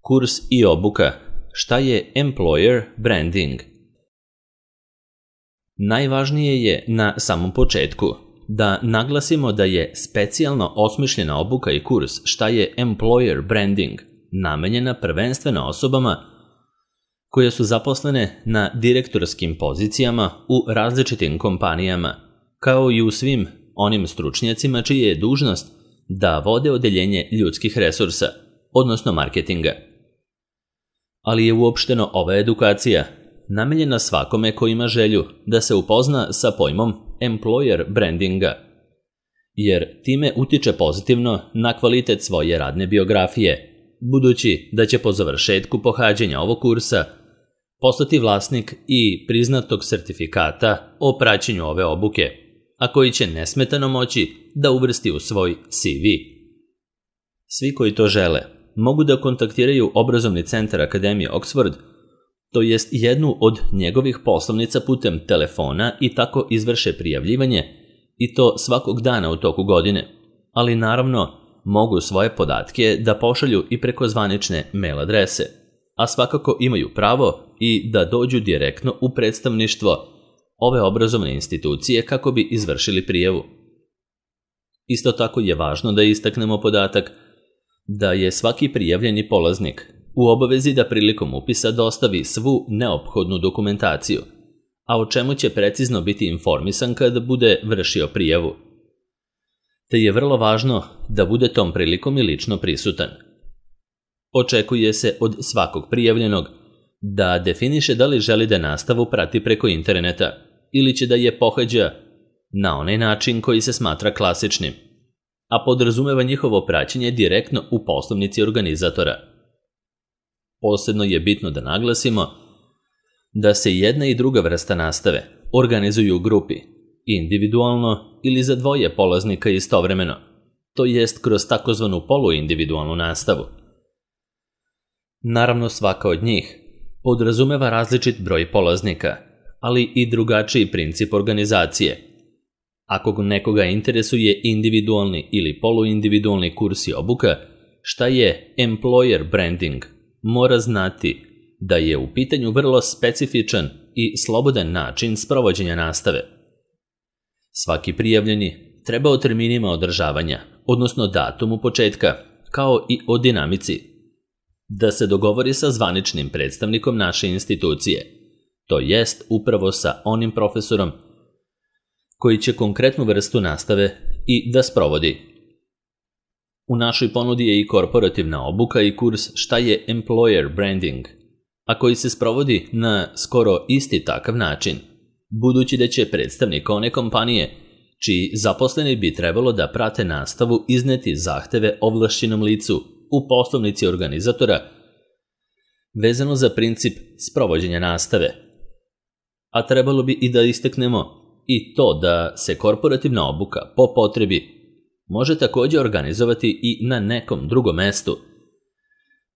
Kurs i obuka. Šta je employer branding? Najvažnije je na samom početku da naglasimo da je specijalno osmišljena obuka i kurs šta je employer branding namenjena prvenstveno osobama koje su zaposlene na direktorskim pozicijama u različitim kompanijama, kao i u svim onim stručnjacima čija je dužnost da vode odeljenje ljudskih resursa, odnosno marketinga. Ali je uopšteno ova edukacija namenjena svakome ko ima želju da se upozna sa pojmom employer brandinga, jer time utiče pozitivno na kvalitet svoje radne biografije, budući da će po završetku pohađanja ovog kursa postati vlasnik i priznatog sertifikata o praćenju ove obuke, a koji će nesmetano moći da uvrsti u svoj CV. Svi koji to žele mogu da kontaktiraju obrazovni centar Akademije Oxford, to jest jednu od njegovih poslovnica putem telefona i tako izvrše prijavljivanje, i to svakog dana u toku godine, ali naravno mogu svoje podatke da pošalju i preko zvanične mail adrese, a svakako imaju pravo i da dođu direktno u predstavništvo ove obrazovne institucije kako bi izvršili prijavu. Isto tako je važno da istaknemo podatak da je svaki prijavljeni polaznik u obavezi da prilikom upisa dostavi svu neophodnu dokumentaciju, a o čemu će precizno biti informisan kada bude vršio prijavu. Te je vrlo važno da bude tom prilikom i lično prisutan. Očekuje se od svakog prijavljenog da definiše da li želi da nastavu prati preko interneta ili će da je pohađa na onaj način koji se smatra klasičnim, a podrazumeva njihovo praćenje direktno u poslovnici organizatora. Posebno je bitno da naglasimo da se jedna i druga vrsta nastave organizuju u grupi, individualno ili za dvoje polaznika istovremeno, to jest kroz takozvanu poluindividualnu nastavu. Naravno, svaka od njih podrazumeva različit broj polaznika, ali i drugačiji princip organizacije. Ako nekoga interesuje individualni ili poluindividualni kurs i obuka, šta je employer branding, mora znati da je u pitanju vrlo specifičan i slobodan način sprovođenja nastave. Svaki prijavljeni treba o terminima održavanja, odnosno datumu početka, kao i o dinamici, da se dogovori sa zvaničnim predstavnikom naše institucije, to jest upravo sa onim profesorom koji će konkretnu vrstu nastave i da sprovodi. U našoj ponudi je i korporativna obuka i kurs šta je employer branding, a koji se sprovodi na skoro isti takav način, budući da će predstavnik one kompanije čiji zaposleni bi trebalo da prate nastavu izneti zahteve ovlašćenom licu u poslovnici organizatora vezano za princip sprovođenja nastave. A trebalo bi i da istaknemo i to da se korporativna obuka po potrebi može također organizovati i na nekom drugom mestu,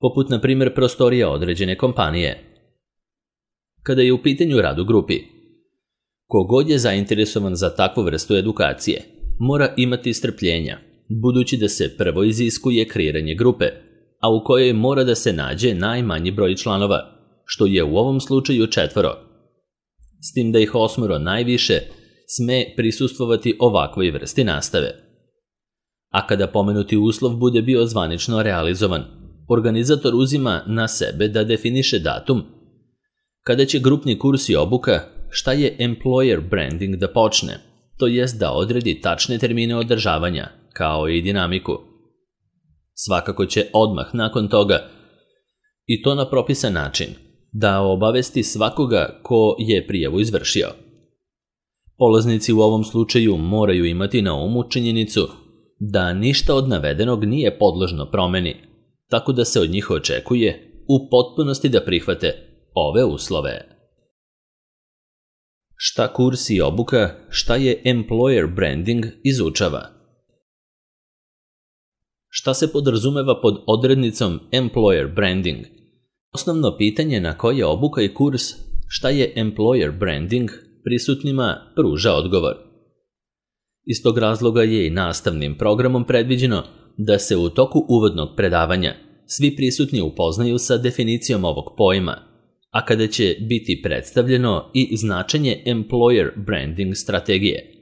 poput na primjer prostorija određene kompanije. Kada je u pitanju rad u grupi, kogod je zainteresovan za takvu vrstu edukacije mora imati strpljenja, budući da se prvo iziskuje kreiranje grupe, a u kojoj mora da se nađe najmanji broj članova, što je u ovom slučaju 4, s tim da ih 8 najviše sme prisustvovati ovakvoj vrsti nastave. A kada pomenuti uslov bude bio zvanično realizovan, organizator uzima na sebe da definiše datum kada će grupni kurs i obuka šta je employer branding da počne, to jest da odredi tačne termine održavanja, kao i dinamiku. Svakako će odmah nakon toga, i to na propisan način, da obavesti svakoga ko je prijavu izvršio. Polaznici u ovom slučaju moraju imati na umu činjenicu da ništa od navedenog nije podložno promeni, tako da se od njih očekuje u potpunosti da prihvate ove uslove. Šta kurs i obuka, šta je employer branding izučava? Šta se podrazumeva pod odrednicom employer branding? Osnovno pitanje na koje obuka i kurs šta je employer branding prisutnima pruža odgovor. Iz tog razloga je i nastavnim programom predviđeno da se u toku uvodnog predavanja svi prisutni upoznaju sa definicijom ovog pojma, a kada će biti predstavljeno i značenje employer branding strategije.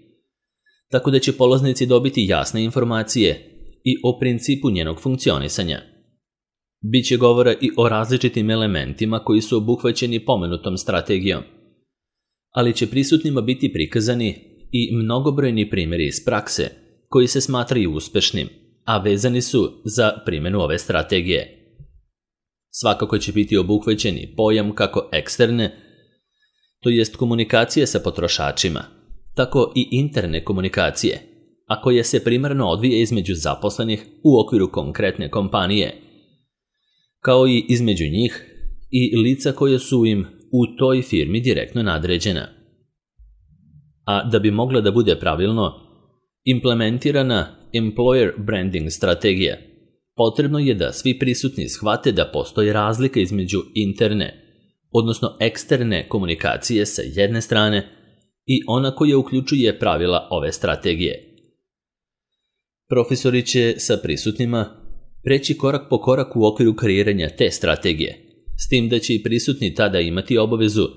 Tako da će polaznici dobiti jasne informacije i o principu njenog funkcionisanja. Biće govora i o različitim elementima koji su obuhvaćeni pomenutom strategijom, ali će prisutnima biti prikazani i mnogobrojni primjeri iz prakse koji se smatraju uspešnim, a vezani su za primjenu ove strategije. Svakako će biti obuhvaćeni pojam kako eksterne, to jest komunikacije sa potrošačima, tako i interne komunikacije, a koja se primarno odvija između zaposlenih u okviru konkretne kompanije, kao i između njih i lica koje su im u toj firmi direktno nadređena. A da bi mogla da bude pravilno implementirana employer branding strategija, potrebno je da svi prisutni shvate da postoji razlika između interne, odnosno eksterne komunikacije sa jedne strane i ona koja uključuje pravila ove strategije. Profesori će sa prisutnima preći korak po korak u okviru kreiranja te strategije, s tim da će i prisutni tada imati obavezu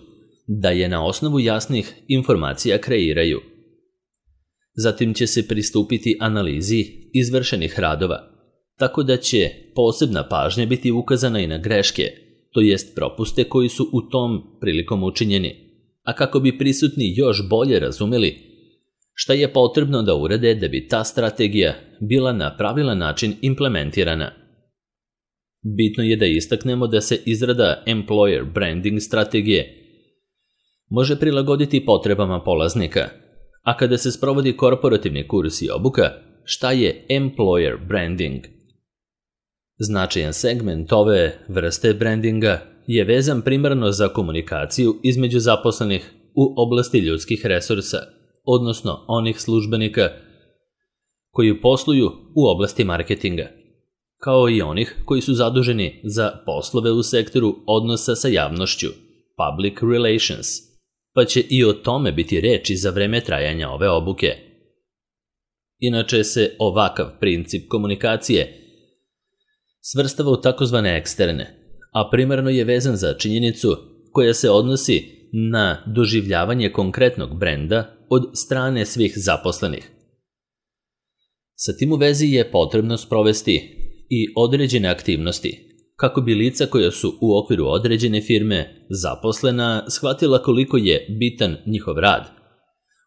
da je na osnovu jasnih informacija kreiraju. Zatim će se pristupiti analizi izvršenih radova, tako da će posebna pažnja biti ukazana i na greške, to jest propuste koji su u tom prilikom učinjeni, a kako bi prisutni još bolje razumeli šta je potrebno da urade da bi ta strategija bila na pravilan način implementirana. Bitno je da istaknemo da se izrada employer branding strategije može prilagoditi potrebama polaznika, a kada se sprovodi korporativni kurs i obuka, šta je employer branding? Značajan segment ove vrste brandinga je vezan primarno za komunikaciju između zaposlenih u oblasti ljudskih resursa, odnosno onih službenika koji posluju u oblasti marketinga, kao i onih koji su zaduženi za poslove u sektoru odnosa sa javnošću, public relations, pa će i o tome biti reči za vreme trajanja ove obuke. Inače se ovakav princip komunikacije svrstava u takozvane eksterne, a primarno je vezan za činjenicu koja se odnosi na doživljavanje konkretnog brenda od strane svih zaposlenih. Sa tim u vezi je potrebno sprovesti i određene aktivnosti, kako bi lica koja su u okviru određene firme zaposlena shvatila koliko je bitan njihov rad,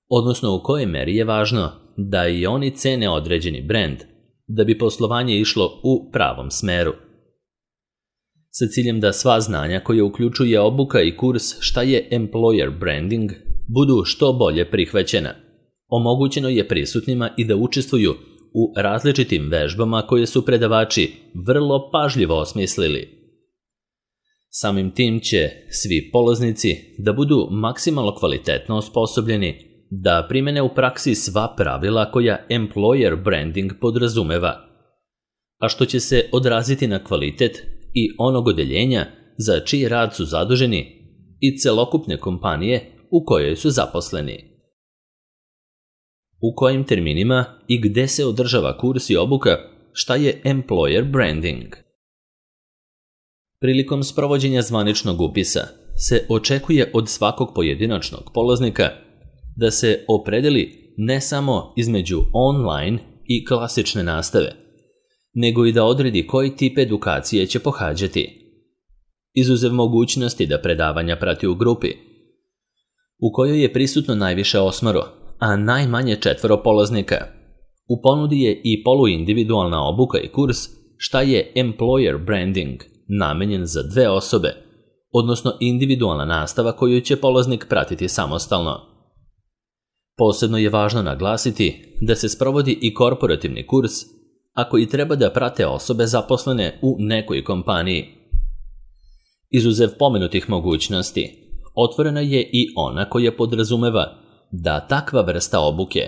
odnosno u kojoj meri je važno da i oni cene određeni brend, da bi poslovanje išlo u pravom smeru. Sa ciljem da sva znanja koje uključuje obuka i kurs šta je employer branding budu što bolje prihvaćena, omogućeno je prisutnima i da učestvuju u različitim vežbama koje su predavači vrlo pažljivo osmislili. Samim tim će svi polaznici da budu maksimalno kvalitetno osposobljeni da primene u praksi sva pravila koja employer branding podrazumeva, a što će se odraziti na kvalitet i onog odeljenja za čiji rad su zaduženi i celokupne kompanije u kojoj su zaposleni. U kojim terminima i gde se održava kurs i obuka šta je employer branding? Prilikom sprovođenja zvaničnog upisa se očekuje od svakog pojedinačnog polaznika da se opredeli ne samo između online i klasične nastave, nego i da odredi koji tip edukacije će pohađati. Izuzev mogućnosti da predavanja prati u grupi, u kojoj je prisutno najviše 8, a najmanje 4 polaznika. U ponudi je i poluindividualna obuka i kurs šta je employer branding, namenjen za 2 osobe, odnosno individualna nastava koju će polaznik pratiti samostalno. Posebno je važno naglasiti da se sprovodi i korporativni kurs, a koji treba da prate osobe zaposlene u nekoj kompaniji. Izuzev pomenutih mogućnosti, otvorena je i ona koja podrazumeva da takva vrsta obuke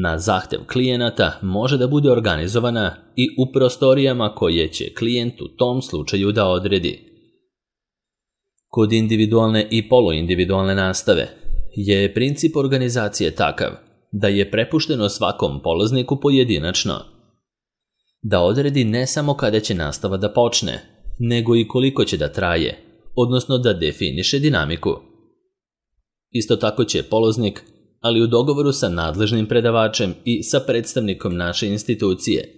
na zahtev klijenata može da bude organizovana i u prostorijama koje će klijent u tom slučaju da odredi. Kod individualne i poluindividualne nastave je princip organizacije takav da je prepušteno svakom polazniku pojedinačno. Da odredi ne samo kada će nastava da počne, nego i koliko će da traje, odnosno da definiše dinamiku. Isto tako će polaznik, ali u dogovoru sa nadležnim predavačem i sa predstavnikom naše institucije,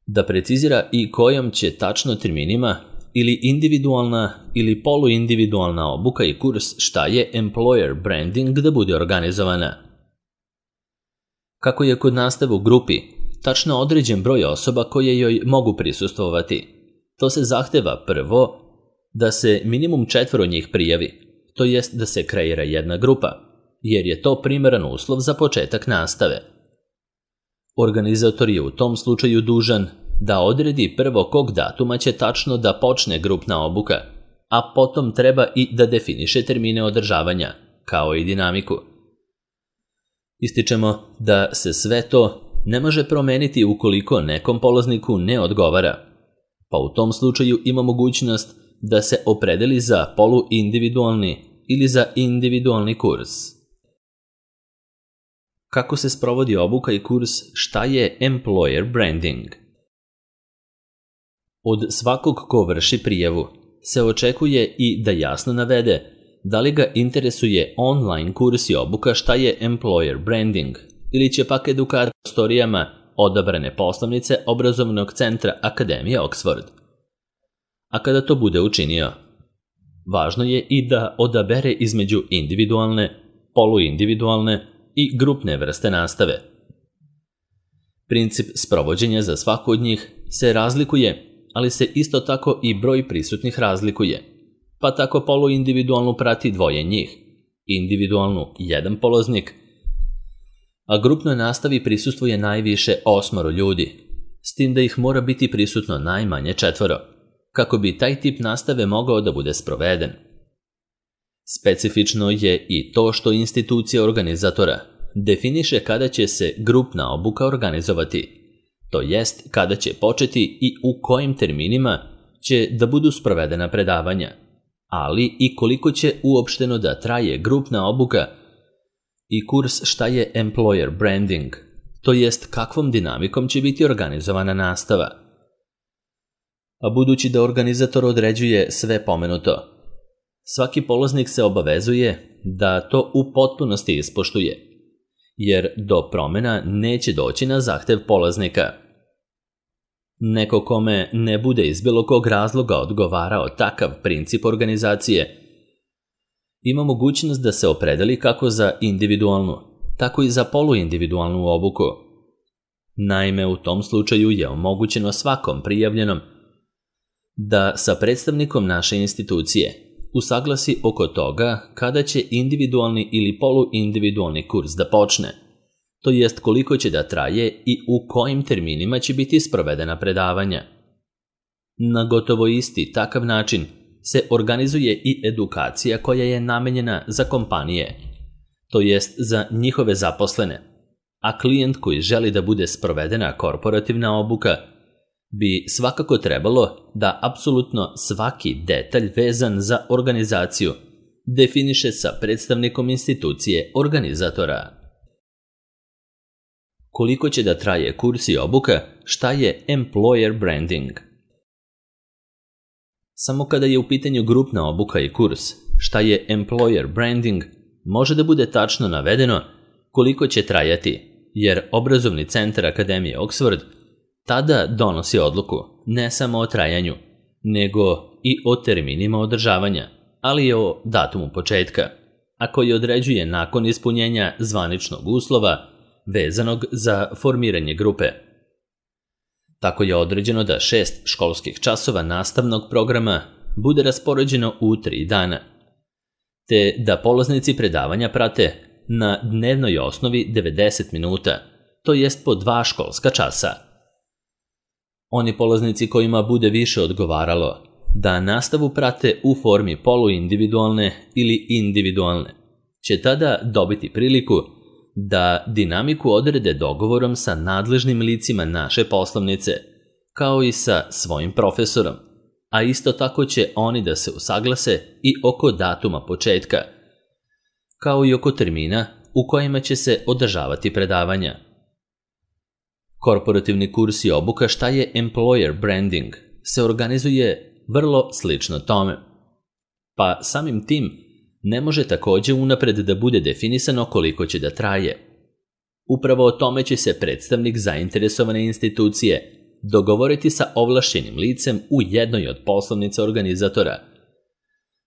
da precizira i kojom će tačno terminima ili individualna ili poluindividualna obuka i kurs šta je employer branding da bude organizovana. Kako je kod nastave u grupi tačno određen broj osoba koje joj mogu prisustvovati, to se zahteva prvo da se minimum 4 njih prijavi, to jest da se kreira jedna grupa, jer je to primeran uslov za početak nastave. Organizator je u tom slučaju dužan da odredi prvo kog datuma će tačno da počne grupna obuka, a potom treba i da definiše termine održavanja, kao i dinamiku. Ističemo da se sve to ne može promeniti ukoliko nekom polazniku ne odgovara, pa u tom slučaju ima mogućnost da se opredeli za poluindividualni ili za individualni kurs. Kako se sprovodi obuka i kurs šta je employer branding? Od svakog ko vrši prijavu se očekuje i da jasno navede da li ga interesuje online kurs i obuka šta je employer branding ili će pak edukator prostorijama odabrane poslovnice obrazovnog centra Akademije Oxford. A kada to bude učinio, važno je i da odabere između individualne, poluindividualne i grupne vrste nastave. Princip sprovođenja za svaku od njih se razlikuje, ali se isto tako i broj prisutnih razlikuje, pa tako poluindividualnu prati 2 njih, individualnu 1 polaznik, a grupnoj nastavi prisustvuje najviše 8 ljudi, s tim da ih mora biti prisutno najmanje 4, kako bi taj tip nastave mogao da bude sproveden. Specifično je i to što institucija organizatora definiše kada će se grupna obuka organizovati, to jest kada će početi i u kojim terminima će da budu sprovedena predavanja, ali i koliko će uopšteno da traje grupna obuka i kurs šta je employer branding, to jest kakvom dinamikom će biti organizovana nastava. A budući da organizator određuje sve pomenuto, svaki polaznik se obavezuje da to u potpunosti ispoštuje, jer do promjena neće doći na zahtev polaznika. Neko kome ne bude iz bilo kog razloga odgovarao takav princip organizacije, ima mogućnost da se opredeli kako za individualnu, tako i za poluindividualnu obuku. Naime, u tom slučaju je omogućeno svakom prijavljenom da sa predstavnikom naše institucije usaglasi oko toga kada će individualni ili poluindividualni kurs da počne, to jest koliko će da traje i u kojim terminima će biti sprovedena predavanja. Na gotovo isti takav način se organizuje i edukacija koja je namenjena za kompanije, to jest za njihove zaposlene, a klijent koji želi da bude sprovedena korporativna obuka bi svakako trebalo da apsolutno svaki detalj vezan za organizaciju definiše sa predstavnikom institucije organizatora. Koliko će da traje kurs i obuka, šta je employer branding? Samo kada je u pitanju grupna obuka i kurs, šta je employer branding, može da bude tačno navedeno koliko će trajati, jer obrazovni centar Akademije Oxford tada donosi odluku ne samo o trajanju, nego i o terminima održavanja, ali i o datumu početka, a koji određuje nakon ispunjenja zvaničnog uslova vezanog za formiranje grupe. Tako je određeno da 6 školskih časova nastavnog programa bude raspoređeno u 3 dana, te da polaznici predavanja prate na dnevnoj osnovi 90 minuta, to jest po 2 školska časa. Oni polaznici kojima bude više odgovaralo da nastavu prate u formi poluindividualne ili individualne, će tada dobiti priliku da dinamiku odrede dogovorom sa nadležnim licima naše poslovnice, kao i sa svojim profesorom, a isto tako će oni da se usaglase i oko datuma početka, kao i oko termina u kojima će se održavati predavanja. Korporativni kurs i obuka šta je employer branding se organizuje vrlo slično tome. Pa samim tim ne može također unapred da bude definisano koliko će da traje. Upravo o tome će se predstavnik zainteresovane institucije dogovoriti sa ovlašćenim licem u jednoj od poslovnica organizatora,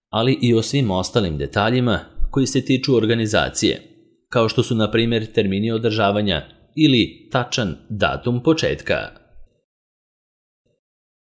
ali i o svim ostalim detaljima koji se tiču organizacije, kao što su na primjer termini održavanja ili tačan datum početka.